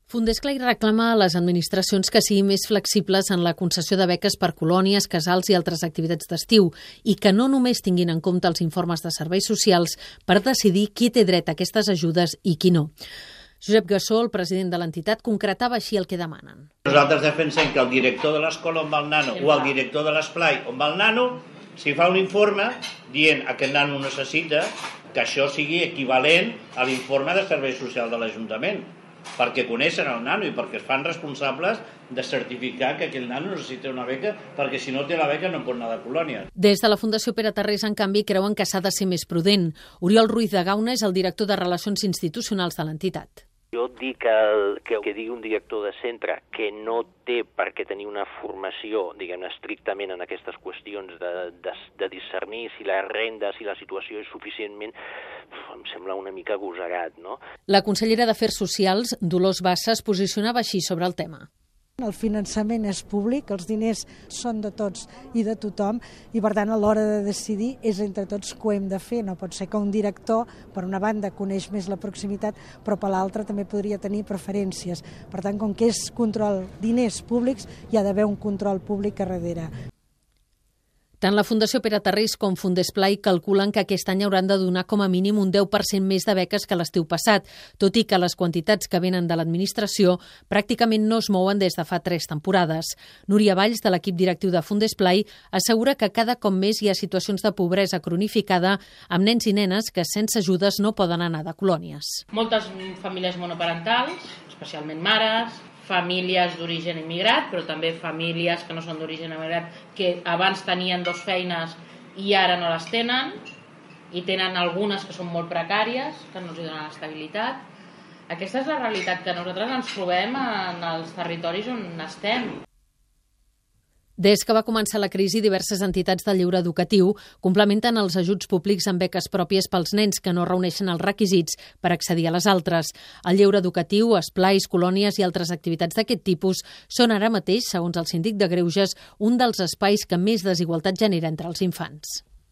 Fundesclai reclama a les administracions que siguin més flexibles en la concessió de beques per colònies, casals i altres activitats d'estiu i que no només tinguin en compte els informes de serveis socials per decidir qui té dret a aquestes ajudes i qui no. Josep Gassó, el president de l'entitat, concretava així el que demanen. Nosaltres defensem que el director de l'escola on va el nano o el director de l'esplai on va el nano, si fa un informe dient que aquest nano necessita, que això sigui equivalent a l'informe de serveis socials de l'Ajuntament, perquè coneixen el nano i perquè es fan responsables de certificar que aquell nano necessita una beca, perquè si no té la beca no pot anar de colònia. Des de la Fundació Pere Tarrés, en canvi, creuen que s'ha de ser més prudent. Oriol Ruiz de Gauna és el director de Relacions Institucionals de l'entitat. Jo dic que digui un director de centre que no té per què tenir una formació, diguem-ne, estrictament en aquestes qüestions de discernir si la renda, si la situació és suficientment, em sembla una mica agosarat, no? La consellera d'Afers Socials, Dolors Bassa, es posicionava així sobre el tema. El finançament és públic, els diners són de tots i de tothom i per tant a l'hora de decidir és entre tots que ho hem de fer. No pot ser que un director per una banda coneix més la proximitat però per l'altra també podria tenir preferències. Per tant, com que és control diners públics hi ha d'haver un control públic a darrere. Tant la Fundació Pere Tarrés com Fundesclai calculen que aquest any hauran de donar com a mínim un 10% més de beques que l'estiu passat, tot i que les quantitats que venen de l'administració pràcticament no es mouen des de fa 3 temporades. Núria Valls, de l'equip directiu de Fundesclai, assegura que cada cop més hi ha situacions de pobresa cronificada amb nens i nenes que sense ajudes no poden anar de colònies. Moltes famílies monoparentals, especialment mares, famílies d'origen immigrat, però també famílies que no són d'origen immigrat, que abans tenien 2 feines i ara no les tenen, i tenen algunes que són molt precàries, que no els donen estabilitat. Aquesta és la realitat que nosaltres ens trobem en els territoris on estem. Des que va començar la crisi, diverses entitats del lleure educatiu complementen els ajuts públics amb beques pròpies pels nens que no reuneixen els requisits per accedir a les altres. El lleure educatiu, esplais, colònies i altres activitats d'aquest tipus són ara mateix, segons el síndic de Greuges, un dels espais que més desigualtat genera entre els infants.